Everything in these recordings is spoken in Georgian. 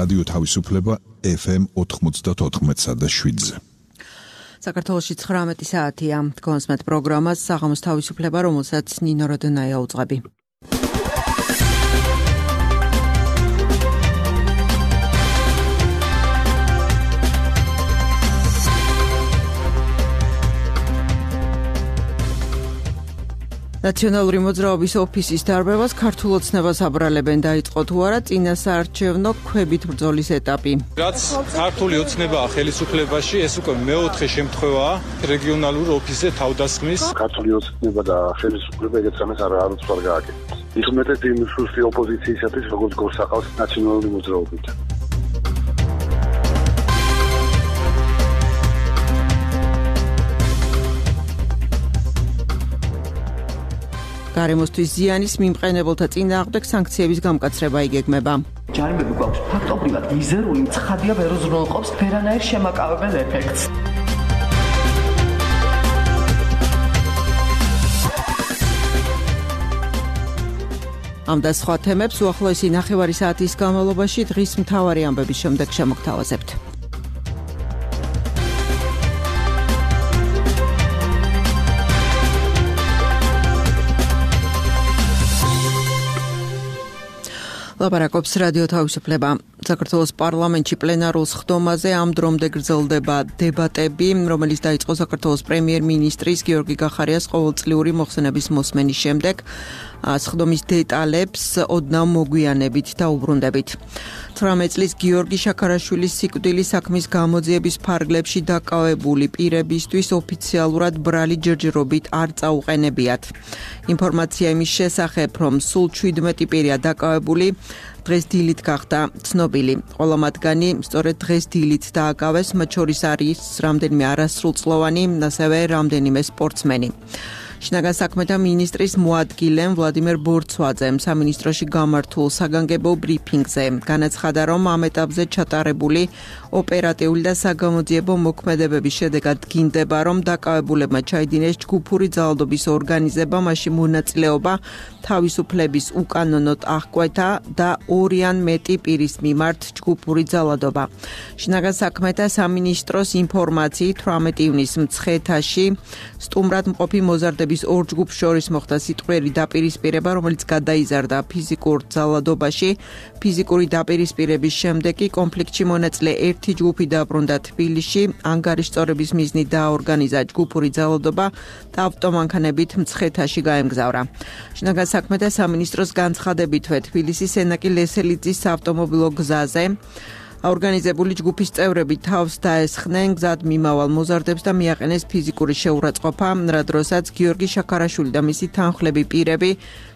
რადიო თავისუფლება FM 94.7-ზე. საქართველოში 19 საათია. კონსმეთ პროგრამას საღამოს თავისუფლება, რომელსაც ნინო როდონაია უძღვები. ნაციონალური მოძრაობის ოფისის დარბევას ქართულ ოცნებას აბრალებენ, დაიწყო თუ არა წინასაარჩევნო ქვებით ბრძოლის ეტაპი. რაც ქართული ოცნებაა ხელისუფლებაში, ეს უკვე მეოთხე შემთხვევაა რეგიონალურ ოფისზე თავდასხმის. ქართული ოცნება და ხელისუფლება ეგეთ რამეს არც არ გააკეთებს. ის უმეტეს იმ სუსტი ოპოზიციისათვის, როგორც გორსაყავს ნაციონალური მოძრაობით. გარემოსთვის ზიანის მიმყენებელთა წინააღმდეგ სანქციების გამკაცრება იგეგმება. ჯარიმები გვაქვს ფაქტობრივად მიზერული, ცხადია ვერ უზრუნველყოფს ვერანაირ შემაკავებელ ეფექტს. ამ და სხვა თემებს უახლოესი ნახევარი საათის განმავლობაში დღის მთავარი ამბების შემდეგ შემოგთავაზებთ. ლაპარაკობს რადიო თავისუფლება. საქართველოს პარლამენტში პლენარულ სხდომაზე ამ დრომდე გრძელდება დებატები, რომელიც დაიწყო საქართველოს პრემიერ-მინისტრის გიორგი გახარიას ყოველწლიური მოხსენების მოსმენის შემდეგ. სხდომის დეტალებს ოდნავ მოგვიანებით და უბრუნდებით. 18 წლის გიორგი შაქარაშვილის სიკვდილის საქმის გამოძიების ფარგლებში დაკავებული პირებისთვის ოფიციალურად ბრალი ჯერჯერობით არ წაუყენებიათ. ინფორმაცია იმის შესახებ, რომ სულ 17 პირია დაკავებული, დღეს დილით გახდა ცნობილი. ყველა მათგანი სწორედ დღეს დილით დააკავეს, მათ შორის არის რამდენიმე არასრულწლოვანი, ასევე რამდენიმე სპორტსმენი. შინაგან საქმეთა მინისტრის მოადგილემ ვლადიმერ ბორცვაძემ სამინისტროში გამართულ საგანგებო ბრიფინგზე განაცხადა, რომ ამ ეტაპზე ჩატარებული ოპერატიული და საგამოძიებო მოქმედებების შედეგად დგინდება, რომ დაკავებულებმა ჩაიდინეს ჯგუფური ძალადობის ორგანიზება, მასში მონაწილეობა თავისუფლების უკანონოდ აღკვეთა და 2 ან მეტი პირის მიმართ ჯგუფური ძალადობა. შინაგან საქმეთა სამინისტროს ინფორმაციით 18 ივნისს მცხეთაში სტუმრად მყოფი მოზარდების ორ ჯგუფს შორის მოხდა სიტყვიერი დაპირისპირება, რომელიც გადაიზარდა ფიზიკურ ძალადობაში. ფიზიკური დაპირისპირების შემდეგ კი კონფლიქტში მონაწილე ერთი ჯგუფი დაბრუნდა თბილისში, ანგარიშწორების მიზნით დააორგანიზა ჯგუფური ძალადობა და ავტომანქანებით მცხეთაში გაემგზავრა. შინაგან საქმეთა სამინისტროს განცხადებითვე თბილისის სენაკი ლესელიძის საავტომობილო გზაზე ორგანიზებული ჯგუფის წევრები თავს დაესხნენ გზად მიმავალ მოზარდებს და მიაყენეს ფიზიკური შეურაცხყოფა, რა დროსაც გიორგი შაქარაშვილი და მისი თანხლები პირები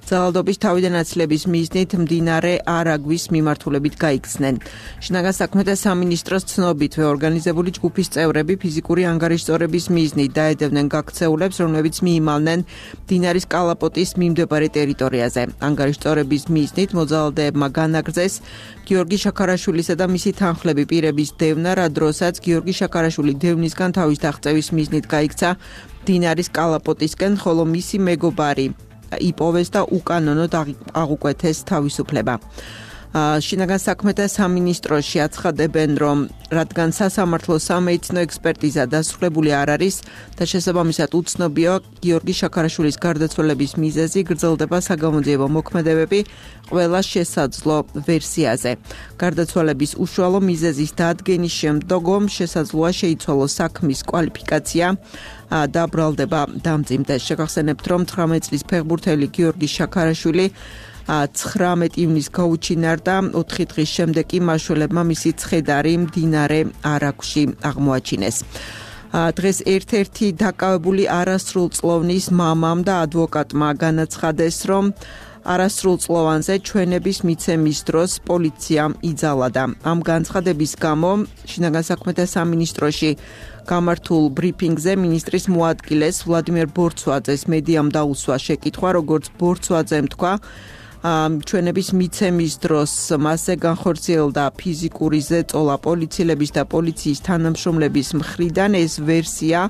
ძალადობის თავიდან აცლების მიზნით მდინარე არაგვის მიმართულებით გაიქცნენ. შინაგან საქმეთა სამინისტროს ცნობითვე ორგანიზებული ჯგუფის წევრები ფიზიკური ანგარიშწორების მიზნით დაედევნენ გაქცეულებს, რომლებიც მიიმალნენ მდინარის კალაპოტის მიმდებარე ტერიტორიაზე. ანგარიშწორების მიზნით მოძალადებმა განაგრძეს გიორგი შაქარაშვილისა და მისი თანხლები პირების დევნა, რა დროსაც გიორგი შაქარაშვილი დევნისგან თავის დაღწევის მიზნით გაიქცა მდინარის კალაპოტისკენ, ხოლო მისი მეგობარი იპოვეს და უკანონოდ აღუკვეთეს თავისუფლება. შინაგან საქმეთა სამინისტროში აცხადებენ, რომ რადგან სასამართლო სამედიცინო ექსპერტიზა დასრულებული არ არის და შესაბამისად უცნობია გიორგი შაქარაშვილის გარდაცვალების მიზეზი, გრძელდება საგამოძიებო მოქმედებები ყველა შესაძლო ვერსიაზე. გარდაცვალების უშუალო მიზეზის დადგენის შემდგომ შესაძლოა შეიცვალოს საქმის კვალიფიკაცია და ბრალდება დამძიმდეს. შეგახსენებთ, რომ 18 წლის ფეხბურთელი გიორგი შაქარაშვილი 19 ივნისს გაუჩინარდა, 4 დღის შემდეგ კი მაშველებმა მისი ცხედარი მდინარე არაგვში აღმოაჩინეს. დღეს ერთ-ერთი დაკავებული არასრულწლოვნის მამამ და ადვოკატმა განაცხადეს, რომ არასრულწლოვანზე ჩვენების მიცემის დროს პოლიციამ იძალადა. ამ განცხადების გამო შინაგან საქმეთა სამინისტროში გამართულ ბრიფინგზე მინისტრის მოადგილეს ვლადიმერ ბორცვაძეს მედიამ დაუსვა შეკითხვა, როგორც ბორცვაძემ თქვა, ჩვენების მიცემის დროს მასზე განხორციელდა ფიზიკური ზეწოლა პოლიციელების და პოლიციის თანამშრომლების მხრიდან. ეს ვერსია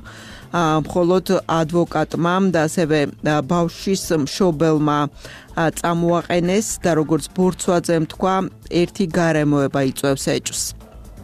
მხოლოდ ადვოკატმა და ასევე ბავშვის მშობელმა წამოაყენეს და როგორც ბორცვაძემ თქვა, ერთი გარემოება იწვევს ეჭვს.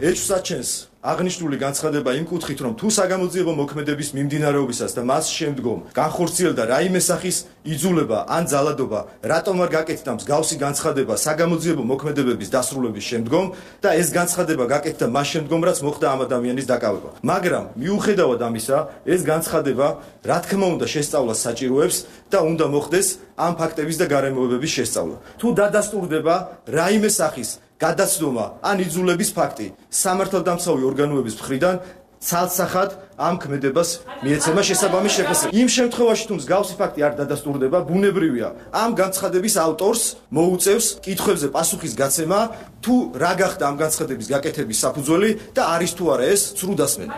ეჭვს აჩენს აღნიშნული განცხადება იმ კუთხით, რომ თუ საგამოძიებო მოქმედების მიმდინარეობისას და მას შემდგომ განხორციელდა რაიმე სახის იძულება ან ძალადობა, რატომ არ გაკეთდა მსგავსი განცხადება საგამოძიებო მოქმედებების დასრულების შემდგომ და ეს განცხადება გაკეთდა მას შემდგომ, რაც მოხდა ამ ადამიანის დაკავება. მაგრამ მიუხედავად ამისა, ეს განცხადება რა თქმა უნდა შესწავლას საჭიროებს და უნდა მოხდეს ამ ფაქტების და გარემოებების შესწავლა. თუ დადასტურდება რაიმე სახის გადაცდომა ან იძულების ფაქტი სამართალდამცავი ორგანოების მხრიდან, ცალსახად ამ ქმედებას მიეცემა შესაბამის შეფასება. იმ შემთხვევაში, თუ მსგავსი ფაქტი არ დადასტურდება, ბუნებრივია ამ განცხადების ავტორს მოუწევს კითხვებზე პასუხის გაცემა, თუ რა გახდა ამ განცხადების გაკეთების საფუძველი და არის თუ არა ეს ცრუდასმენა.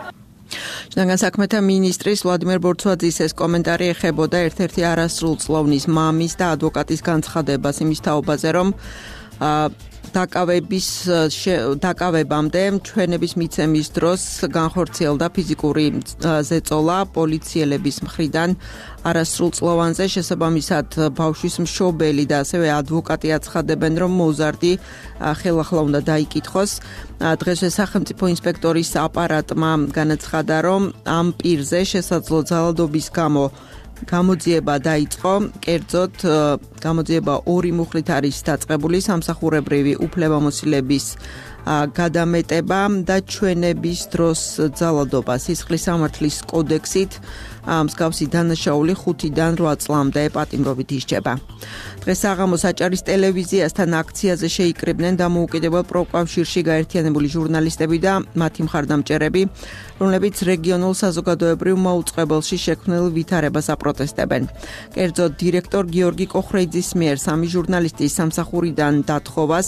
შინაგან საქმეთა მინისტრის ვლადიმერ ბორცვაძის ეს კომენტარი ეხებოდა ერთ-ერთი არასრულწლოვნის მამის და ადვოკატის განცხადებას იმის თაობაზე, რომ დაკავებამდე ჩვენების მიცემის დროს განხორციელდა ფიზიკური ზეწოლა პოლიციელების მხრიდან არასრულწლოვანზე. შესაბამისად ბავშვის მშობელი და ასევე ადვოკატი აცხადებენ, რომ მოზარდი ხელახლა უნდა დაიკითხოს. დღესვე სახელმწიფო ინსპექტორის აპარატმა განაცხადა, რომ ამ პირზე შესაძლო ძალადობის გამო გამოძიება დაიწყო. კერძოდ გამოძიება ორი მუხლით არის დაწყებული, სამსახურებრივი უფლებამოსილების გადამეტება და ჩვენების დროს ძალადობა სისხლის სამართლის კოდექსით მსგავსი დანაშაული 5-დან 8 წლამდე პატიმრობით ისჯება. დღეს საღამოს აჭარის ტელევიზიასთან აქციაზე შეიკრიბნენ დამოუკიდებელ პროკავშირში გაერთიანებული ჟურნალისტები და მათი მხარდამჭერები, რომლებიც რეგიონულ საზოგადოებრივ მოუწყებელში შექმნილ ვითარებას აპროტესტებენ. კერძოდ დირექტორ გიორგი კოხრეიძის მიერ 3 ჟურნალისტის სამსახურიდან დათხოვას,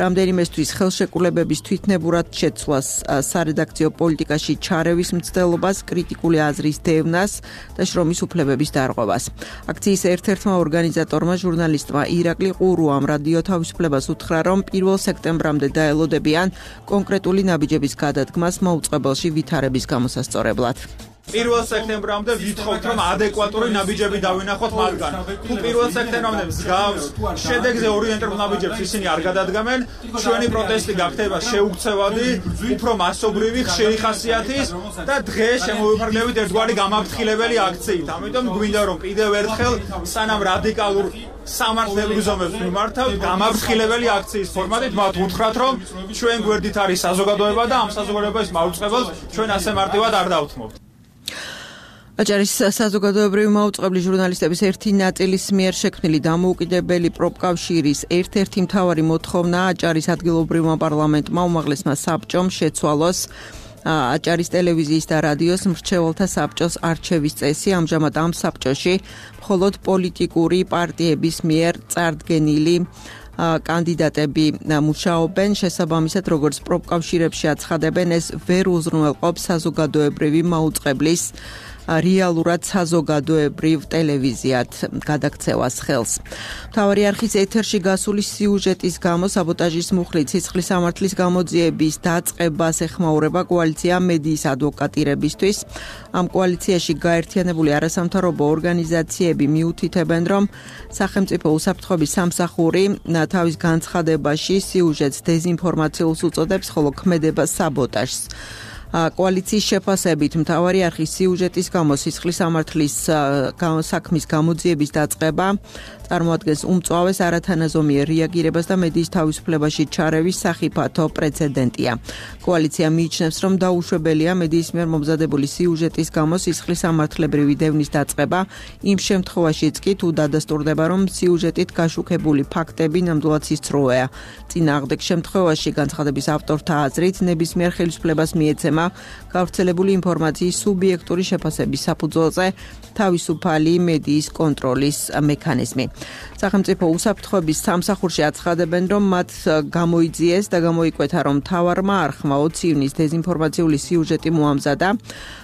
რამდენიმესთვის ხელშეკრულებების თვითნებურად შეცვლას, სარედაქციო პოლიტიკაში ჩარევის მცდელობას, კრიტიკული აზრის დევნას და შრომის უფლებების დარღვევას. აქციის ერთ-ერთმა ორგანიზატორმა ჟურნალისტმა ირაკლი ყურუამ რადიო თავისუფლებას უთხრა, რომ 1 სექტემბრამდე დაელოდებიან კონკრეტული ნაბიჯების გადადგმას მოუწყებელში ვითარების გამოსასწორებლად. 1 სექტემბრამდე ვითხოვთ, რომ ადეკვატური ნაბიჯები დავინახოთ მათგან. თუ 1 სექტემბრამდე მსგავს შედეგზე ორიენტირებულ ნაბიჯებს ისინი არ გადადგამენ, ჩვენი პროტესტი გახდება შეუქცევადი, უფრო მასობრივი, ხშირი ხასიათის და დღეს შემოვიფარგლებით ერთგვარი გამაფრთხილებელი აქციით. ამიტომ გვინდა რომ კიდევ ერთხელ სანამ რადიკალურ სამართლებრივ ზომებს მიმართავთ, გამაფრთხილებელი აქციის ფორმატით მათ უთხრათ, რომ ჩვენ გვერდით არის საზოგადოება და ამ საზოგადოების მაუწყებელს ჩვენ ასე მარტივად არ დავთმობთ. აჭარის საზოგადოებრივი მაუწყებლი ჟურნალისტების ერთი ნაწილის მიერ შექმნილი დამოუკიდებელი პროფკავშირის ერთ-ერთი მთავარი მოთხოვნა აჭარის ადგილობრივმა პარლამენტმა უმაღლესმა საბჭომ შეცვალოს აჭარის ტელევიზიის და რადიოს მრჩეველთა საბჭოს არჩევის წესი. ამჟამად ამ საბჭოში მხოლოდ პოლიტიკური პარტიების მიერ წარდგენილი კანდიდატები მუშაობენ. შესაბამისად, როგორც პროფკავშირებში აცხადებენ, ეს ვერ უზრუნველყოფს საზოგადოებრივი მაუწყებლის რეალურად საზოგადოებრივ ტელევიზიად გადაქცევას ხელს. მთავარი არხის ეთერში გასული სიუჟეტის გამო საბოტაჟის მუხლით სისხლის სამართლის გამოძიების დაწყებას ეხმაურება კოალიცია მედიის ადვოკატირებისთვის. ამ კოალიციაში გაერთიანებული არასამთავრობო ორგანიზაციები მიუთითებენ, რომ სახელმწიფო უსაფრთხოების სამსახური თავის განცხადებაში სიუჟეტს დეზინფორმაციულს უწოდებს, ხოლო ქმედებას საბოტაჟს. კოალიციის შეფასებით მთავარი არხის სიუჟეტის გამო სისხლის სამართლის საქმის გამოძიების დაწყება წარმოადგენს უმწვავეს არათანაზომიერ რეაგირებას და მედიის თავისუფლებაში ჩარევის სახიფათო პრეცედენტია. კოალიცია მიიჩნევს, რომ დაუშვებელია მედიის მიერ მომზადებული სიუჟეტის გამო სისხლის სამართლებრივი დევნის დაწყება, იმ შემთხვევაშიც კი თუ დადასტურდება, რომ სიუჟეტით გაშუქებული ფაქტები ნამდვილად სისწროეა. წინააღმდეგ შემთხვევაში განცხადების ავტორთა აზრით ნებისმიერ ხელისუფლებას მიეცემა ეთქმა გავრცელებული ინფორმაციის სუბიექტური შეფასების საფუძველზე თავისუფალი მედიის კონტროლის მექანიზმი. სახელმწიფო უსაფრთხოების სამსახურში აცხადებენ, რომ მათ გამოიძიეს და გამოიკვეთა, რომ მთავარმა არხმა 20 ივნის დეზინფორმაციული სიუჟეტი მოამზადა,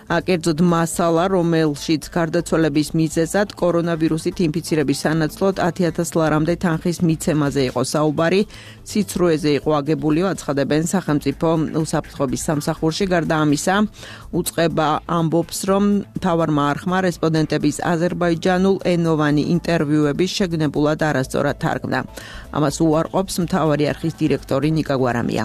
კერძოდ მასალა, რომელშიც გარდაცვალების მიზეზად კორონავირუსით ინფიცირების სანაცვლოდ 10,000 ლარამდე თანხის მიცემაზე იყო საუბარი, სიცრუეზე იყო აგებული, აცხადებენ სახელმწიფო უსაფრთხოების სამსახურში. გარდა ამისა, უწყება ამბობს, რომ მთავარმა არხმა რესპონდენტების აზერბაიჯანულ ენოვანი ინტერვიუების შეგნებულად არასწორად თარგმნა. ამას უარყოფს მთავარი არხის დირექტორი ნიკა გვარამია.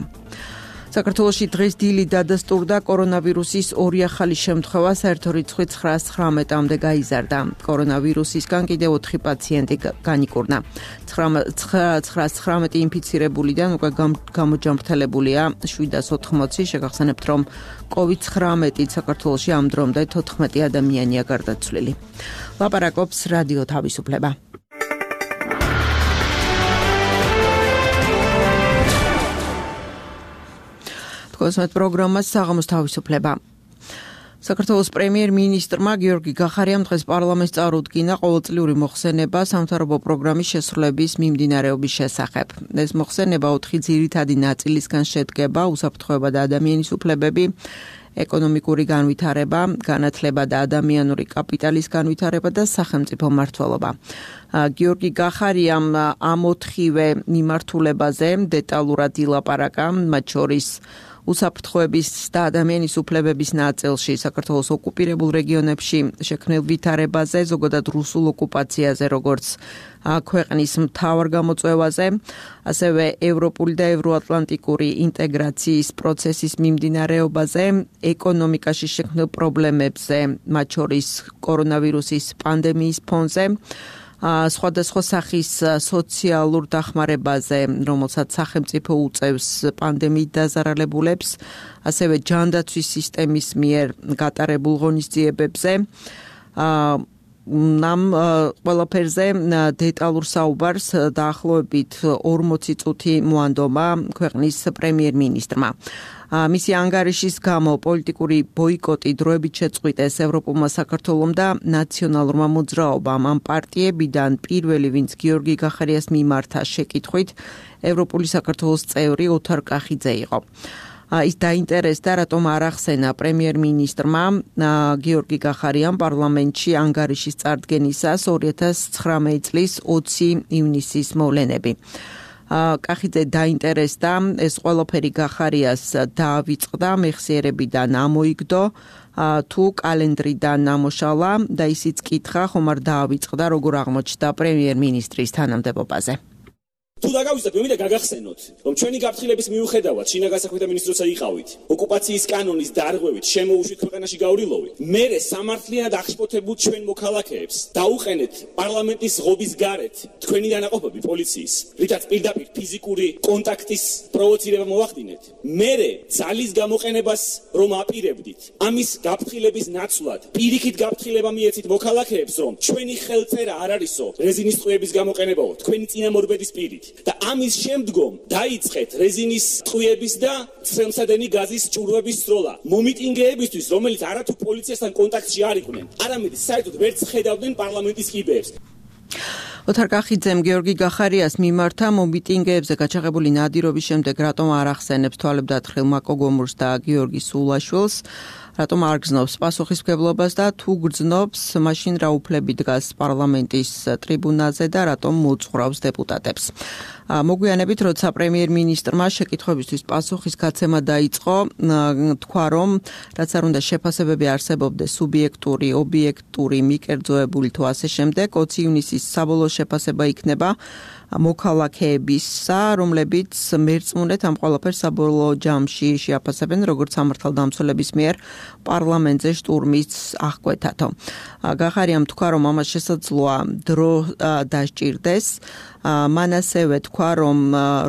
საქართველოში დღეს დილით დადასტურდა კორონავირუსის ორი ახალი შემთხვევა, საერთო რიცხვი 919-მდე გაიზარდა. კორონავირუსისგან კიდევ 4 პაციენტი განიკურნა. 919 ინფიცირებულიდან უკვე გამოჯანმრთელებულია 780. შეგახსენებთ, რომ COVID-19 საქართველოში ამ დრომდე 14 ადამიანია გარდაცვლილი. ლაპარაკობს რადიო თავისუფლება. კოსმეთ პროგრამას საღამოს თავისუფლება. საქართველოს პრემიერ-მინისტრმა გიორგი გახარიამ დღეს პარლამენტს წარუდგინა ყოველწლიური მოხსენება სამთავრობო პროგრამის შესრულების მიმდინარეობის შესახებ. ეს მოხსენება 4 ძირითადი ნაწილისგან შედგება: უსაფრთხოება და ადამიანის უფლებები, ეკონომიკური განვითარება, განათლება და ადამიანური კაპიტალის განვითარება და სახელმწიფო მმართველობა. გიორგი გახარიამ ამ 4-ვე მიმართულებაზე დეტალურად ილაპარაკა, მათ შორის უსაფრთხოების და ადამიანის უფლებების ნაწილში საქართველოს ოკუპირებულ რეგიონებში შექმნილ ვითარებაზე, ზოგადად რუსულ ოკუპაციაზე, როგორც ქვეყნის მთავარ გამოწვევაზე, ასევე ევროპული და ევროატლანტიკური ინტეგრაციის პროცესის მიმდინარეობაზე, ეკონომიკაში შექმნილ პრობლემებზე, მათ შორის კორონავირუსის პანდემიის ფონზე, სხვადასხვა სახის სოციალურ დახმარებაზე, რომელსაც სახელმწიფო უწევს პანდემიით დაზარალებულებს, ასევე ჯანდაცვის სისტემის მიერ გატარებულ ღონისძიებებზე. ამ ყველაფერზე დეტალურ საუბარს დაახლოებით 40 წუთი მოანდომა ქვეყნის პრემიერ-მინისტრმა. მისი ანგარიშის გამო პოლიტიკური ბოიკოტი დროებით შეწყვიტეს ევროპულმა საქართველომ და ნაციონალურმა მოძრაობამ. ამ პარტიებიდან პირველი, ვინც გიორგი გახარიას მიმართა შეკითხვით, ევროპული საქართველოს წევრი ოთარ კახიძე იყო. ის დაინტერესდა, რატომ არ ახსენა პრემიერ-მინისტრმა გიორგი გახარიამ პარლამენტში ანგარიშის წარდგენისას 2019 წლის 20 ივნისის მოვლენები. კახიძე დაინტერესდა, ეს ყველაფერი გახარიას დაავიწყდა, მეხსიერებიდან ამოიგდო, თუ კალენდრიდან ამოშალა და ისიც კითხა, ხომ არ დაავიწყდა, როგორ აღმოჩნდა პრემიერ-მინისტრის თანამდებობაზე. თუ დაგავიწყდეთ, მე მინდა გაგახსენოთ, რომ ჩვენი გაფრთხილების მიუხედავად, შინაგანსაქმეთა მინისტრიც იყავით, ოკუპაციის კანონის დარღვევით შემოუშვით ქვეყანაში გავრილოვით, მერე სამართლიანად აღშფოთებულ ჩვენ მოქალაქეებს დაუყენეთ პარლამენტის ღობის გარეთ თქვენი დანაყოფები პოლიციის, რითაც პირდაპირ ფიზიკური კონტაქტის პროვოცირება მოვახდინეთ. მერე ძალის გამოყენებას რომ აპირებდით, ამის გაფრთხილების ნაცვლად, პირიქით გაფრთხილება მიეცით მოქალაქეებს, რომ ჩვენი ხელწერა არ არისო რეზინის ტყვიების გამოყენებაო, თქვენი წინამორბედის პირით. და ამის შემდგომ დაიწყეთ რეზინის ტყვიების და ცხელმსადენი გაზის ჭურვების სროლა. მომიტინგეებისთვის, რომელიც არათუ პოლიციასთან კონტაქტში არ იყვნენ, არამედ საერთოდ ვერც ხედავდნენ პარლამენტის კიბეებს. ოთარ კახიძემ გიორგი გახარიას მიმართა მომიტინგეებზე გაჩაღებული ნადირობის შემდეგ რატომ არ ახსენებს თვალებდათხილ მაკო გომურს და გიორგი სულაშვილს, რატომ არ გრძნობს პასუხისმგებლობას და თუ გრძნობს, მაშინ რა უფლები დგას პარლამენტის ტრიბუნაზე და რატომ მოუწყვრავს დეპუტატებს. მოგვიანებით, როცა პრემიერ-მინისტრმა შეკითხვებისთვის პასუხის გაცემა დაიწყო, თქვა, რომ რაც არ უნდა შეფასებები არსებობდეს სუბიექტური, ობიექტური, მიკერძოებული თუ ასე შემდეგ, 20 ივნისის საბოლოო შეფასება იქნება მოქალაქეებისა, რომლებიც მერწმუნეთ ამ ყველაფერს საბოლოო ჯამში შეაფასებენ, როგორც სამართალდამცველების მიერ პარლამენტზე შტურმის აღკვეთათო. გახარიამ თქვა, რომ ამას შესაძლოა დრო დასჭირდეს. მან ასევე თქვა, რომ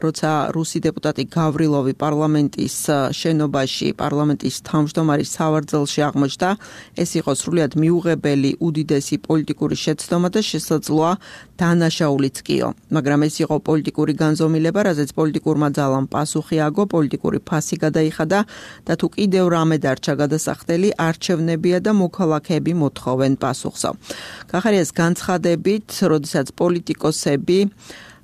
როცა რუსი დეპუტატი გავრილოვი პარლამენტის შენობაში, პარლამენტის თავმჯდომარის სავარძელში აღმოჩნდა, ეს იყო სრულიად მიუღებელი უდიდესი პოლიტიკური შეცდომა და შესაძლოა დანაშაულიც კიო. მაგრამ მაგრამ ეს იყო პოლიტიკური განზომილება, რაზეც პოლიტიკურმა ძალამ პასუხი აგო, პოლიტიკური ფასი გადაიხადა და თუ კიდევ რამე დარჩა გადასახდელი, არჩევნებია და მოქალაქეები მოთხოვენ პასუხსო. გახარიას განცხადებით, როდესაც პოლიტიკოსები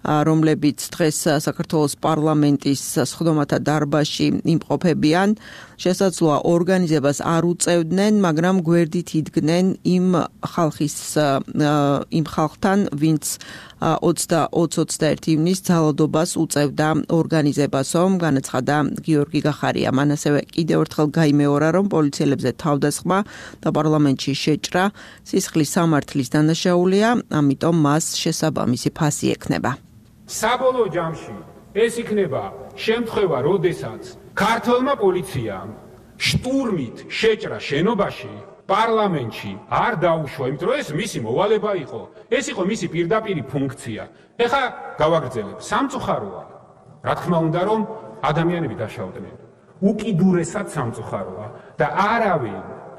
რომლებიც დღეს საქართველოს პარლამენტის სხდომათა დარბაზში იმყოფებიან, შესაძლოა ორგანიზებას არ უწევდნენ, მაგრამ გვერდით იდგნენ იმ ხალხთან, ვინც 20-21 ივნის ძალადობას უწევდა ორგანიზებასო, განაცხადა გიორგი გახარიამ. ასევე კიდევ ერთხელ გაიმეორა, რომ პოლიციელებზე თავდასხმა და პარლამენტში შეჭრა სისხლის სამართლის დანაშაულია, ამიტომ მას შესაბამისი ფასი ექნება. საბოლოო ჯამში ეს იქნება შემთხვევა, როდესაც ქართულმა პოლიციამ შტურმით შეჭრა შენობაში პარლამენტში არ დაუშვა, იმიტომ რომ ეს მისი მოვალება იყო. ეს იყო მისი პირდაპირი ფუნქცია. ეხლა გავაგრძელებ. სამწუხაროა, რა თქმა უნდა, რომ ადამიანები დაშავდნენ. უკიდურესად სამწუხაროა და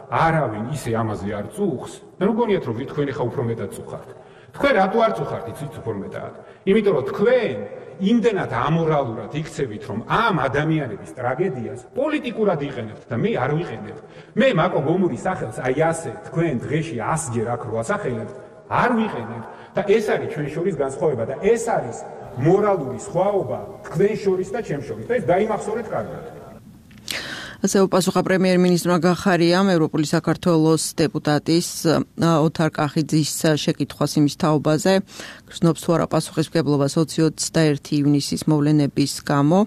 არავინ ისე ამაზე არ წუხს. ნუ გონიათ რომ თქვენ ეხლა უფრო მეტად წუხართ. თქვენ რატო არ წუხართ იცით უფრო მეტად? იმიტომ რომ თქვენ იმდენად ამორალურად იქცევით, რომ ამ ადამიანების ტრაგედიას პოლიტიკურად იყენებთ და მე არ ვიყენებ. მე მაკო გომურის სახელს აი ასე თქვენ დღეში 100 ჯერ აქ რო ასახელებთ, არ ვიყენებ და ეს არის ჩვენ შორის განსხვავება და ეს არის მორალური სხვაობა თქვენ შორის და ჩემ შორის და ეს დაიმახსოვრეთ კარგად. ასე უპასუხა პრემიერ-მინისტრმა გახარიამ ევროპული საქართველოს დეპუტატის ოთარ კახიძის შეკითხვას იმის თაობაზე, გრძნობს თუ არა პასუხისმგებლობა 20-21 ივნისის მოვლენების გამო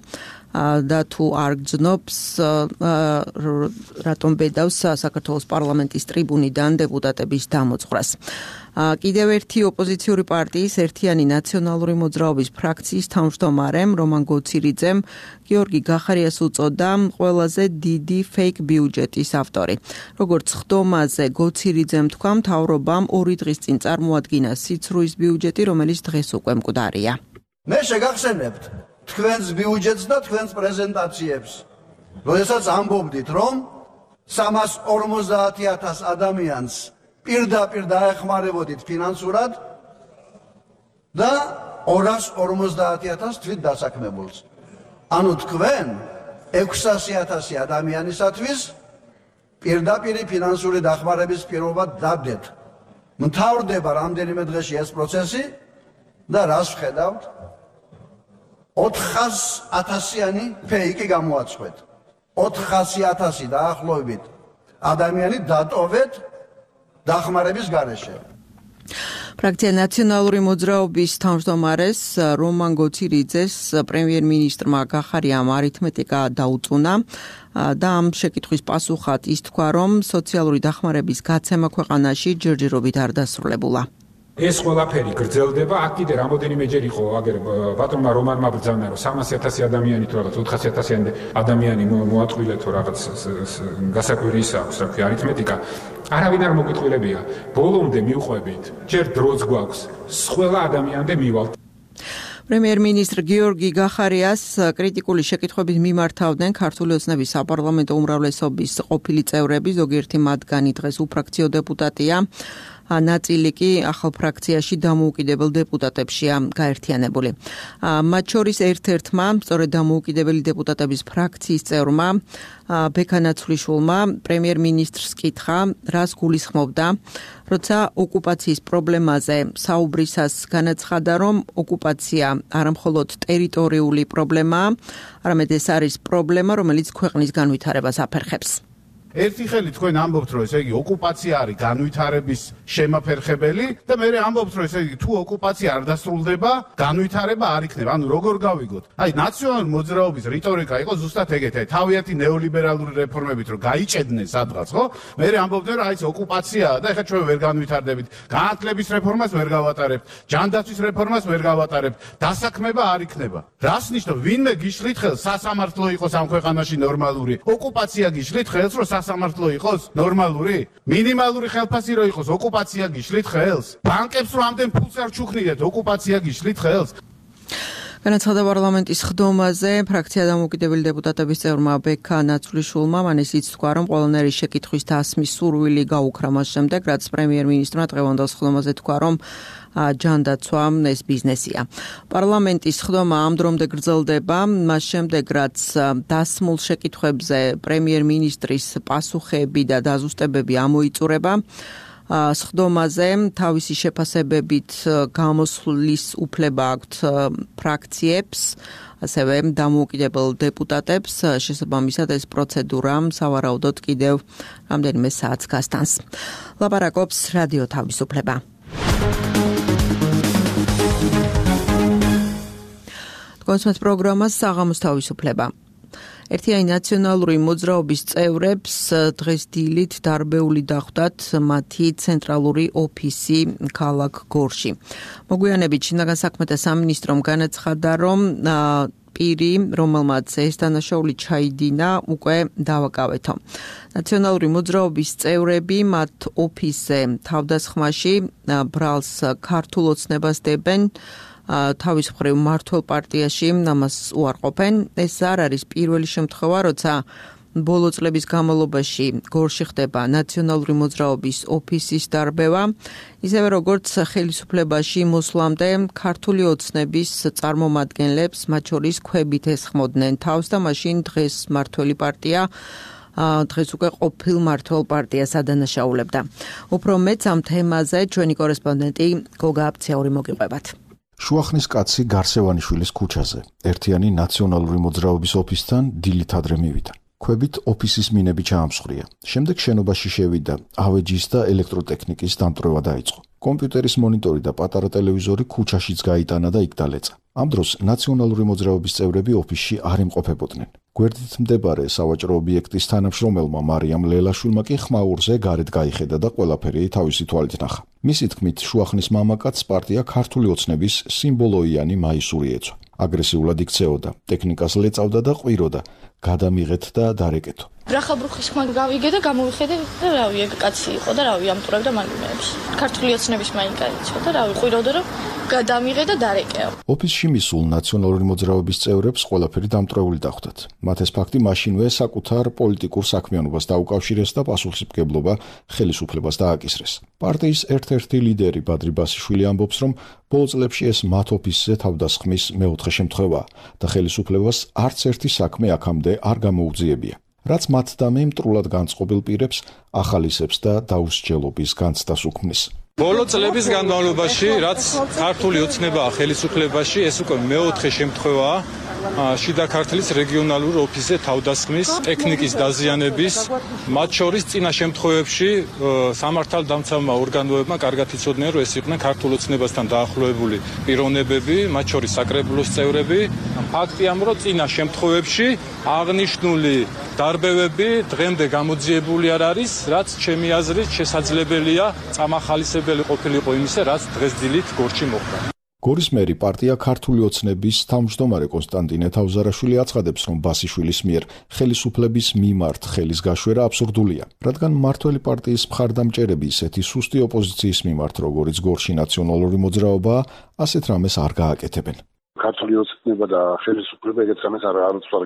და თუ არ გრძნობს, რატომ ბედავს საქართველოს პარლამენტის ტრიბუნიდან დეპუტატების დამოძღვრას. კიდევ ერთი ოპოზიციური პარტიის ერთიანი ნაციონალური მოძრაობის ფრაქციის თავმჯდომარემ რომან გოცირიძემ გიორგი გახარიას უწოდა ყველაზე დიდი ფეიქ ბიუჯეტის ავტორი. როგორც ხდომაზე გოცირიძემ თქვა, მთავრობამ 2 დღის წინ წარმოადგინა სიცრუის ბიუჯეტი, რომელიც დღეს უკვე მკვდარია. მე შეგახსენებთ თქვენს ბიუჯეტს და თქვენს პრეზენტაციებს, როდესაც ამბობდით, რომ 350,000 ადამიანს პირდაპირ დაეხმარებოდით ფინანსურად და 250,000 თვით დასაქმებულს. ანუ თქვენ 600,000 ადამიანისათვის პირდაპირი ფინანსური დახმარების პირობა დაბდეთ. მთავრდება რამდენიმე დღეში ეს პროცესი და რას ვხედავთ? 400,000-იანი ფეიკი გამოაცხვეთ. 400,000 დაახლოებით ადამიანი დატოვეთ დახმარების გარეშე. ფრაქცია ნაციონალური მოძრაობის თავმჯდომარეს რომან გოცირიძეს პრემიერ-მინისტრმა გახარიამ არითმეტიკა დაუწუნა და ამ შეკითხვის პასუხად ის თქვა, რომ სოციალური დახმარების გაცემა ქვეყანაში ჯერჯერობით არ დასრულებულა. ეს ყველაფერი გრძელდება, აქ კიდე რამოდენიმეჯერ იყო აგერ ბატონმა რომანმა ბრძანა, რომ 300,000 ადამიანი თუ რაღაც 400,000 ადამიანი მოატყვილეთო რაღაც გასაკვირის აქვს, რა ქვია, არითმეტიკა. არავინ არ მოგიტყვილებია. ბოლომდე მივყვებით, ჯერ დროც გვაქვს, ყველა ადამიანამდე მივალთ. პრემიერ-მინისტრ გიორგი გახარიას კრიტიკული შეკითხვებით მიმართავდნენ ქართული ოცნების საპარლამენტო უმრავლესობის ყოფილი წევრები, ზოგიერთი მათგანი დღეს უფრაქციო დეპუტატია. ნაწილი კი ახალ ფრაქციაში დამოუკიდებელ დეპუტატებშია გაერთიანებული. მათ შორის ერთ-ერთმა, სწორედ დამოუკიდებელი დეპუტატების ფრაქციის წევრმა ბექანაცვლიშვილმა პრემიერ-მინისტრს კითხა, რას გულისხმობდა, როცა ოკუპაციის პრობლემაზე საუბრისას განაცხადა, რომ ოკუპაცია არამხოლოდ ტერიტორიული პრობლემაა, არამედ ეს არის პრობლემა, რომელიც ქვეყნის განვითარებას აფერხებს. ერთი ხელი თქვენ ამბობთ, რომ ესე იგი ოკუპაცია არის განვითარების შემაფერხებელი და მე ამბობთ, რომ ესე იგი თუ ოკუპაცია არ დასრულდება, განვითარება არ იქნება. ანუ როგორ გავიგოთ? აი ნაციონალური მოძრაობის რიტორიკა იყო ზუსტად ეგეთი, აი თავიანთი ნეოლიბერალური რეფორმებით რომ გაიჭედნენ სადღაც, ხო? მე ამბობდნენ, რომ აი ეს ოკუპაციაა და ეხლა ჩვენ ვერ განვითარდებით. განათლების რეფორმას ვერ გავატარებთ, ჯანდაცვის რეფორმას ვერ გავატარებთ, დასაქმება არ იქნება. რას ნიშნავს? ვინმე გიშლით ხელს სასამართლო იყოს ამ ქვეყანაში ნორმალური? ოკუპაცია გიშლით ხელს, რომ სასამართლო იყოს ნორმალური? მინიმალური ხელფასი რო იყოს, ოკუპაცია გიშლით ხელს? ბანკებს რო ამდენ ფულს არ ჩუქნიდეთ, ოკუპაცია გიშლით ხელს? განაცხადა პარლამენტის ხდომაზე ფრაქცია დამოუკიდებელი დეპუტატების წევრმა ბექა ნაცვლიშვილმა, მან ისიც თქვა, რომ ყველანაირი შეკითხვის დასმის სურვილი გაუქრა მას შემდეგ, რაც პრემიერ-მინისტრმა დღევანდელ ხდომაზე თქვა, რომ ჯანდაცვა ეს ბიზნესია. პარლამენტის ხდომა ამ დრომდე გრძელდება, მას შემდეგ, რაც დასმულ შეკითხვებზე პრემიერ-მინისტრის პასუხები და დაზუსტებები ამოიწურება. სხდომაზე თავისი შეფასებებით გამოსვლის უფლება აქვთ ფრაქციებს, ასევე დამოუკიდებელ დეპუტატებს, შესაბამისად ეს პროცედურა სავარაუდოდ კიდევ რამდენიმე საათს გასტანს. ლაპარაკობს რადიო თავისუფლება. კონსმეთ პროგრამას საღამოს თავისუფლება. ერთიანი ნაციონალური მოძრაობის წევრებს დღეს დილით დარბეული დახვდათ მათი ცენტრალური ოფისი ქალაქ გორში. მოგვიანებით შინაგან საქმეთა სამინისტრომ განაცხადა, რომ პირი, რომელმაც ეს დანაშაული ჩაიდინა, უკვე დავაკავეთო. ნაციონალური მოძრაობის წევრები მათ ოფისზე თავდასხმაში ბრალს ქართულ ოცნებას დებენ. თავის მხრივ მართლ პარტიაში ამას უარყოფენ. ეს არ არის პირველი შემთხვევა, როცა ბოლო წლების განმავლობაში გორში ხდება ნაციონალური მოძრაობის ოფისის დარბევა, ისევე როგორც ხელისუფლებაში მოსვლამდე ქართული ოცნების წარმომადგენლებს, მათ შორის ქვებით ესხმოდნენ თავს და მაშინ დღეს მართველი პარტია დღეს უკვე ყოფილ მართლ პარტიას ადანაშაულებდა. უფრო მეც ამ თემაზე ჩვენი კორესპონდენტი გოგა აბციური მოგიყვებათ. შუახნის კაცი გარსევანიშვილის ქუჩაზე ერთიანი ნაციონალური მოძრაობის ოფისთან დილით ადრე მივიდა. ქვებით ოფისის მინები ჩაამსხვრია. შემდეგ შენობაში შევიდა ავეჯის და ელექტროტექნიკის დამტვრევა დაიწყო. კომპიუტერის მონიტორი და პატარა ტელევიზორი ქუჩაშიც გაიტანა და იქ დალეწა. ამ დროს ნაციონალური მოძრაობის წევრები ოფისში არ იმყოფებოდნენ. გვერდით მდებარე სავაჭრო ობიექტის თანამშრომელმა მარიამ ლელაშვილმა კი ხმაურზე გარეთ გაიხედა და ყველაფერი თავისი თვალით ნახა. მისი თქმით, შუახნის მამაკაცს პარტია ქართული ოცნების სიმბოლოიანი მაისური ეცვა. აგრესიულად იქცეოდა, ტექნიკას ლეწავდა და ყვიროდა, გადამიღეთ და დარეკეთო. ბრახაბრუხის ხმა გავიგე და გამოვიხედე და რავი, ეგ კაცი იყო და რავი, ამტვრევდა მაგიმეებს. ქართული ოცნების მაინკაიცო და რავი, ყვიროდა რომ გადამიღე და დარეკეო. ოფისში მისულ ნაციონალური მოძრაობის წევრებს ყველაფერი დამტვრეული დახვდათ. მათ ეს ფაქტი მაშინვე საკუთარ პოლიტიკურ საქმიანობას დაუკავშირეს და პასუხისმგებლობა ხელისუფლებას დააკისრეს. პარტიის ერთ-ერთი ლიდერი ბადრი ბასიშვილი ამბობს, რომ ბოლო წლებში ეს მათ ოფისზე თავდასხმის მეოთხე შემთხვევაა და ხელისუფლებას არც ერთი საქმე აქამდე არ გამოუძიებია. რაც მათ და მე მტრულად განწყობილ პირებს ახალისებს და დაუსჯელობის განცდას უქმნის. ბოლო წლების განმავლობაში, რაც ქართული ოცნებაა ხელისუფლებაში, ეს უკვე მეოთხე შემთხვევაა შიდა ქართლის რეგიონალურ ოფისზე თავდასხმის, ტექნიკის დაზიანების, მათ შორის წინა შემთხვევებში სამართალდამცავმა ორგანოებმა კარგად იცოდნენ, რომ ეს იყვნენ ქართულ ოცნებასთან დაახლოებული პიროვნებები, მათ შორის საკრებულოს წევრები. ფაქტია, რომ წინა შემთხვევებში აღნიშნული დარბევები დღემდე გამოძიებული არ არის, რაც ჩემი აზრით შესაძლებელია წამახალისებელი ყოფილიყო იმისა, რაც დღეს დილით გორში მოხდა. გორის მერი პარტია ქართული ოცნების თავმჯდომარე კონსტანტინე თავზარაშვილი აცხადებს, რომ ბასიშვილის მიერ ხელისუფლების მიმართ ხელის გაშვერა აბსურდულია, რადგან მართველი პარტიის მხარდამჭერები ისეთი სუსტი ოპოზიციის მიმართ, როგორიც გორში ნაციონალური მოძრაობაა, ასეთ რამეს არ გააკეთებენ. ქართული ოცნება და ხელისუფლება ეგეთ რამეს არ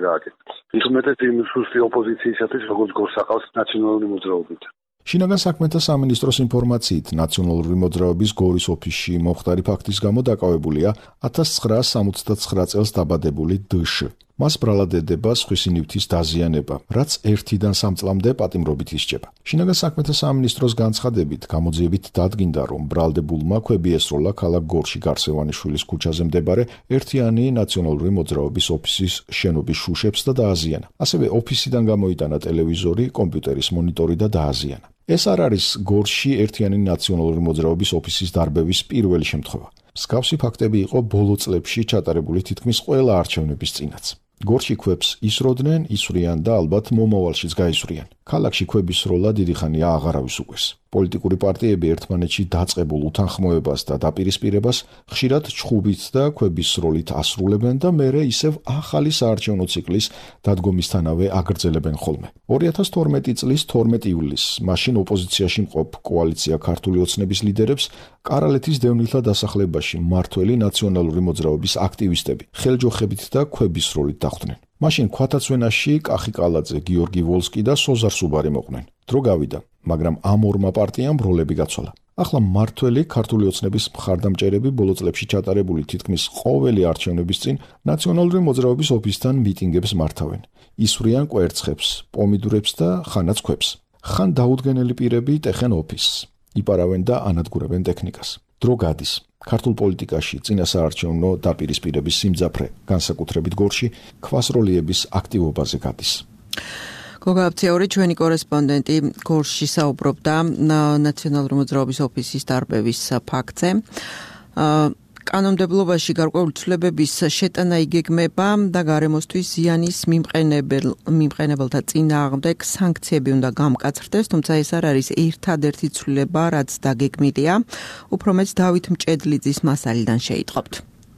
გააკეთებს. ის უმეტეს იმ სუსტი ოპოზიციისათვის, როგორც გორსაყავს ნაციონალური მოძრაობით. შინაგან საქმეთა სამინისტროს ინფორმაციით, ნაციონალური მოძრაობის გორის ოფისში მომხდარი ფაქტის გამო დაკავებულია 1969 წელს დაბადებული დშ. მას ბრალად ედება სხვისი ნივთის დაზიანება, რაც 1-დან 3 წლამდე პატიმრობით ისჯება. შინაგან საქმეთა სამინისტროს განცხადებით, გამოძიებით დადგინდა, რომ ბრალდებულმა ქვები ესროლა ქალაქ გორში გარსევანიშვილის ქუჩაზე მდებარე ერთიანი ნაციონალური მოძრაობის ოფისის შენობის შუშებს და დააზიანა. ასევე ოფისიდან გამოიტანა ტელევიზორი, კომპიუტერის მონიტორი და დააზიანა. ეს არ არის გორში ერთიანი ნაციონალური მოძრაობის ოფისის დარბევის პირველი შემთხვევა. მსგავსი ფაქტები იყო ბოლო წლებში ჩატარებული თითქმის ყველა არჩევნების წინაც. გორში ქვებს ისროდნენ, ისვრიან და ალბათ მომავალშიც გაისვრიან. ქალაქში ქვების სროლა დიდი ხანია აღარავის უკვეს. პოლიტიკური პარტიები ერთმანეთში დაწყებულ უთანხმოებას და დაპირისპირებას ხშირად ჩხუბით და ქვების სროლით ასრულებენ და მერე ისევ ახალი საარჩევნო ციკლის დადგომისთანავე აგრძელებენ ხოლმე. 2012 წლის 12 ივლისს მაშინ ოპოზიციაში მყოფ კოალიცია ქართული ოცნების ლიდერებს კარალეთის დევნილთა დასახლებაში მმართველი ნაციონალური მოძრაობის აქტივისტები ხელჯოხებით და ქვების სროლით დახვდნენ. მაშინ ქვათაცვენაში კახი კალაძე, გიორგი ვოლსკი და სოზარ სუბარი მოყვნენ. დრო გავიდა, მაგრამ ამ ორმა პარტიამ როლები გაცვალა. ახლა მმართველი ქართული ოცნების მხარდამჭერები ბოლო წლებში ჩატარებული თითქმის ყოველი არჩევნების წინ ნაციონალური მოძრაობის ოფისთან მიტინგებს მართავენ. ისვრიან კვერცხებს, პომიდურებს და ხანაც ქვებს. ხან დაუდგენელი პირები ტეხენ ოფისს, იპარავენ და ანადგურებენ ტექნიკას. დრო გადის. ქართულ პოლიტიკაში წინასაარჩევნო დაპირისპირების სიმძაფრე, განსაკუთრებით გორში, ქვასროლიების აქტივობაზე გადის. გოგა აფციური ჩვენი კორესპონდენტი გორში საუბრობდა ნაციონალური მოძრაობის ოფისის დარბევის ფაქტზე. კანონმდებლობაში გარკვეული ცვლილებების შეტანა იგეგმება და გარემოსთვის ზიანის მიმყენებელთა წინააღმდეგ სანქციები უნდა გამკაცრდეს, თუმცა ეს არ არის ერთადერთი ცვლილება, რაც დაგეგმილია. უფრო მეც დავით მჭედლიძის მასალიდან შეიტყობთ.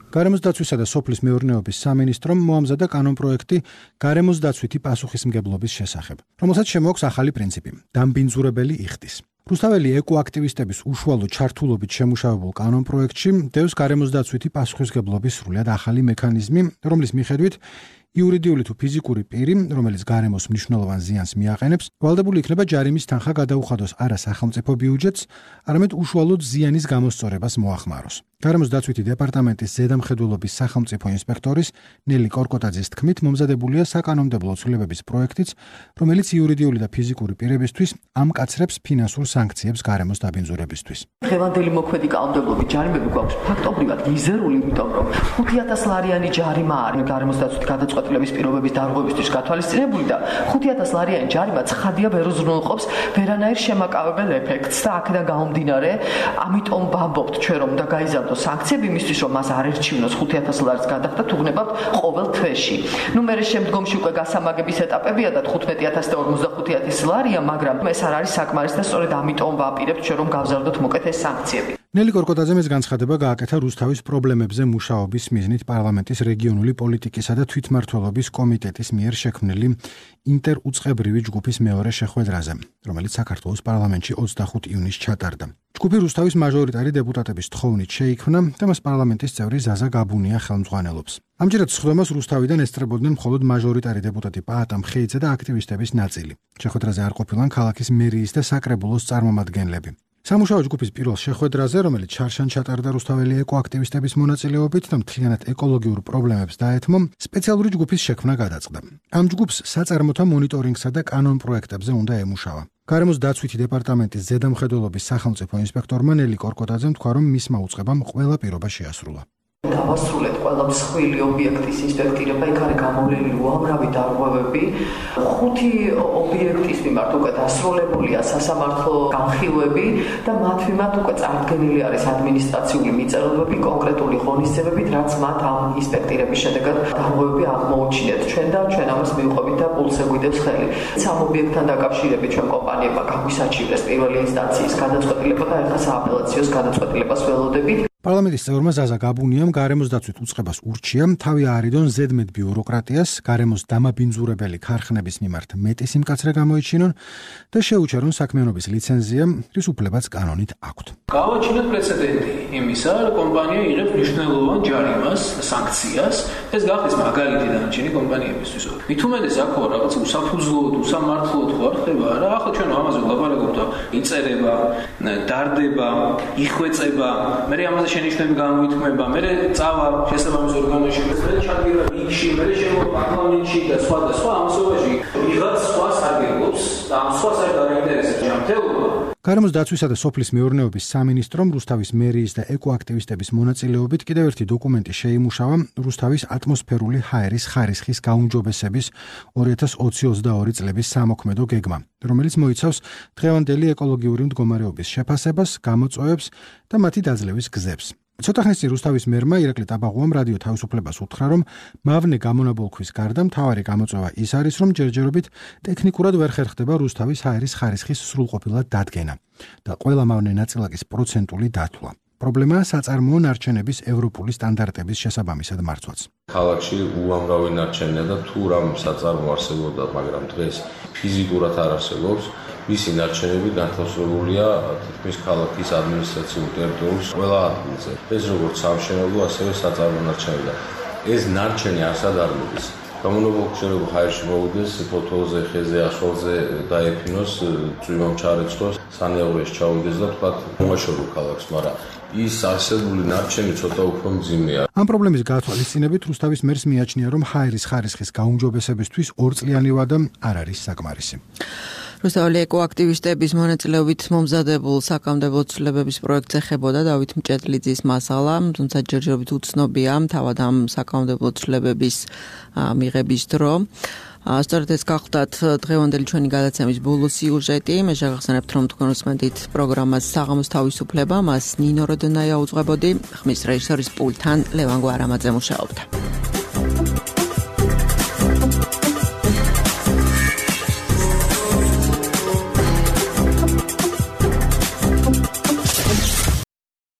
გარემოს დაცვისა და სოფლის მეურნეობის სამინისტრომ მოამზადა კანონპროექტი გარემოს დაცვითი პასუხისმგებლობის შესახებ, რომელსაც შემოაქვს ახალი პრინციპი დამბინძურებელი იხდის. რუსთაველი ეკოაქტივისტების უშუალო ჩართულობით შემუშავებულ კანონპროექტში დევს გარემოს დაცვითი პასუხისმგებლობის სრულად ახალი მექანიზმი, რომლის მიხედვით იურიდიული თუ ფიზიკური პირი, რომელიც გარემოს მნიშვნელოვან ზიანს მიაყენებს, ვალდებული იქნება ჯარიმის თანხა გადაუხადოს არა სახელმწიფო ბიუჯეტს, არამედ უშუალოდ ზიანის გამოსწორებას მოახმაროს. გარემოს დაცვითი დეპარტამენტის ზედამხედველობის სახელმწიფო ინსპექტორის ნელი კორკოტაძის თქმით, მომზადებულია საკანონმდებლო ცვლილებების პროექტიც, რომელიც იურიდიული და ფიზიკური პირებისთვის ამკაცრებს ფინანსურ სანქციებს გარემოს დაბინძურებისთვის. დღევანდელი მოქმედი კანონმდებლობის ჯარიმები გვაქვს ფაქტობრივად მიზერული, იმიტომ რომ 5000 ლარიანი ჯარიმა არის გარემოს დაცვითი გადაწყვეტილების პირობების დარღვევისთვის გათვალისწინებული და 5000 ლარიანი ჯარიმა ცხადია ვერ უზრუნველყოფს ვერანაირ შემაკავებელ ეფექტს და აქედან გამომდინარე, ამიტომ ვამბობთ ჩვენ რომ უნდა გაიზარდოს სანქციები იმისთვის რომ მას არ ერჩივნოს 5000 ლარის გადახდა თუ გნებავთ ყოველ თვეში. მერე შემდგომში უკვე გასამაგების ეტაპებია და 15000 და 45000 ლარია, მაგრამ ეს არ არის საკმარისი და სწორედ ამიტომ ვაპირებთ ჩვენ რომ გავზარდოთ მოკეთ ეს სანქციები. ნელი კორკოტაძემ ეს განცხადება გააკეთა რუსთავის პრობლემებზე მუშაობის მიზნით პარლამენტის რეგიონული პოლიტიკისა და თვითმმართველობის კომიტეტის მიერ შექმნილი ინტერუწყებრივი ჯგუფის მეორე შეხვედრაზე, რომელიც საქართველოს პარლამენტში 25 ივნისს ჩატარდა. ჯგუფი რუსთავის მაჟორიტარი დეპუტატების თხოვნით შეიქმნა და მას პარლამენტის წევრი ზაზა გაბუნია ხელმძღვანელობს. ამჯერად სხდომას რუსთავიდან ესწრებოდნენ მხოლოდ მაჟორიტარი დეპუტატი პაატა მხეიძე და აქტივისტების ნაწილი. შეხვედრაზე არ ყოფილან ქალაქის მერიის და საკრებულოს წარმომადგენლები. სამუშაო ჯგუფის პირველ შეხვედრაზე, რომელიც შარშან ჩატარდა რუსთაველი ეკოაქტივისტების მონაწილეობით და მთლიანად ეკოლოგიურ პრობლემებს დაეთმო, სპეციალური ჯგუფის შექმნა გადაწყდა. ამ ჯგუფს საწარმოთა მონიტორინგსა და კანონპროექტებზე უნდა ემუშავა. გარემოს დაცვითი დეპარტამენტის ზედამხედველობის სახელმწიფო ინსპექტორმა ნელი კორკოტაძემ თქვა, რომ მისმა უწყებამ ყველა პირობა შეასრულა. დავასრულეთ ყველა მსხვილი ობიექტის ინსპექტირება, იქ არის გამოვლენილი უამრავი დარღვევები. 5 ობიექტის მიმართ უკვე დასრულებულია სასამართლო განხილვები და მათ მიმართ უკვე წარდგენილი არის ადმინისტრაციული მიწელებები კონკრეტული ღონისძიებებით, რაც მათ ამ ინსპექტირების შედეგად დარღვევები აღმოუჩინეთ. ჩვენ ამას მივყვებით და პულს ეგვიდებს ხელი. სამ ობიექტთან დაკავშირებით ჩვენ კომპანიებმა გაგვისაჩივრეს პირველი ინსტანციის გადაწყვეტილება და ახლა სააპელაციოს გადაწყვეტილებას ველოდებით. პარლამენტის წევრმა ზაზა გაბუნიამ გარემოს დაცვით უწყებას ურჩია თავი აარიდონ ზედმეტ ბიუროკრატიას, გარემოს დამაბინძურებელი ქარხნების მიმართ მეტი სიმკაცრე გამოიჩინონ და შეუჩერონ საქმიანობის ლიცენზია, რის უფლებაც კანონით აქვთ. გავაჩინოთ პრეცედენტი იმისა, რომ კომპანია იღებს მნიშვნელოვან ჯარიმას, სანქციას, ეს გახდეს მაგალითი დანარჩენი კომპანიებისთვის. მით უმეტეს აქ რაღაც უსაფუძვლოდ, უსამართლოდ ხო არ ხდება რა? ახლა ჩვენ ამაზე ვლაპარაკობთ, იწერება, დარდება, იხვეწება, მე ამაზე შენიშვნები გამოითქმება, მერე წავა შესაბამის ორგანოში, მერე ჩადგება რიგში, მერე შემოვა პარლამენტში და სხვა ამასობაში ვიღაც სხვას აგებობს და ამ სხვას არ დაინტერესებს ჯანმრთელობა. გარემოს დაცვისა და სოფლის მეურნეობის სამინისტრომ რუსთავის მერიის და ეკოაქტივისტების მონაწილეობით კიდევ ერთი დოკუმენტი შეიმუშავა რუსთავის ატმოსფერული ჰაერის ხარისხის გაუმჯობესების 2020-22 წლების სამოქმედო გეგმა, რომელიც მოიცავს დღევანდელი ეკოლოგიური მდგომარეობის შეფასებას, გამოწვევებს და მათი დაძლევის გზებს. ცოტა ხნის წინ რუსთავის მერმა ირაკლი ტაბაღუამ რადიო თავისუფლებას უთხრა, რომ მავნე გამონაბოლქვის გარდა მთავარი გამოწვევა ის არის, რომ ჯერჯერობით ტექნიკურად ვერ ხერხდება რუსთავის ჰაერის ხარისხის სრულყოფილად დადგენა და ყველა მავნე ნაწილაკის პროცენტული დათვლა. პრობლემაა საწარმოო ნარჩენების ევროპული სტანდარტების შესაბამისად მარცვაც. ქალაქში უამრავი ნარჩენია და თუ რამ საწარმო არსებობდა, მაგრამ დღეს ფიზიკურად არ არსებობს, მისი ნარჩენები განთავსებულია თითქმის ქალაქის ადმინისტრაციულ ტერიტორიის ყველა ადგილზე. ეს როგორც სამშენებლო, ასევე საწარმო ნარჩენები. ეს ნარჩენი არსად არ მოდის. გამონაბოლქვი ჰაერში მოვიდეს, ფოთოლზე, ხეზე, ახალზე დაეფინოს, წვიმამ ჩარეცხოს, სანეაურეში ჩავიდეს და თქვა მოაშორო ქალაქს, მაგრამ ის არსებული ნარჩენი ცოტა უფრო მძიმეა. ამ პრობლემის გათვალისწინებით რუსთავის მერს მიაჩნია, რომ ჰაერის ხარისხის გაუმჯობესებისთვის ორწლიანი ვადა არ არის საკმარისი. რუსთაველი ეკოაქტივისტების მონაწილეობით მომზადებულ საკანონმდებლო ცვლილებების პროექტს ეხებოდა დავით მჭედლიძის მასალა, თუმცა ჯერჯერობით უცნობია თავად ამ საკანონმდებლო ცვლილებების მიღების დრო. სწორედ ეს გახლდათ დღევანდელი ჩვენი გადაცემის ბოლო სიუჟეტი. მე შეგახსენებთ, რომ თქვენ უსმენთ პროგრამას საღამოს თავისუფლება, მას ნინო როდონაია უძღვებოდი, ხმის რეჟისორის პულტთან ლევან გვარამაძე მუშაობდა.